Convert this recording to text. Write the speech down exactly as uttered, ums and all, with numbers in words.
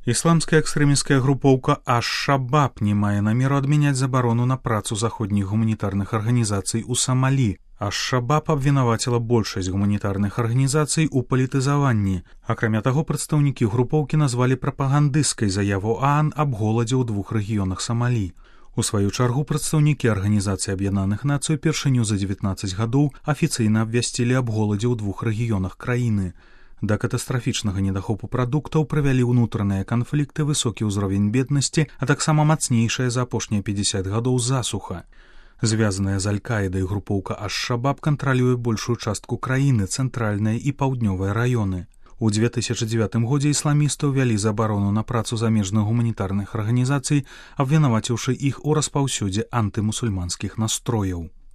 Ісламская экстрэмісцкая групоўка Аш-Шабаб не мае намеру адмяняць забарону на працу заходніх гуманітарных арганізацый у Самалі. Аш-Шабаб абвінаваціла большасць гуманітарных арганізацый у палітызаванні. Акрамя таго, прадстаўнікі групоўкі назвалі прапагандысцкай заяву ААН аб голадзе ў двух рэгіёнах Самалі. У сваю чаргу прадстаўнікі Арганізацыі Аб'яднаных Нацый упершыню за дзевятнаццаць гадоў афіцыйна абвясцілі аб голадзе ў двух рэгіёнах краіны. Да катастрафічнага недахопу прадуктаў прывялі ўнутраныя канфлікты, высокі ўзровень беднасці, а таксама мацнейшая за апошнія пятьдесят гадоў засуха. Звязаная з Аль-Каідай групоўка Аш-Шабаб кантралюе большую частку краіны, цэнтральныя і паўднёвыя раёны. У две тысячы дзевятым годзе ісламісты ўвялі забарону на працу замежных гуманітарных арганізацый, абвінаваціўшы іх у распаўсюдзе антымусульманскіх настрояў.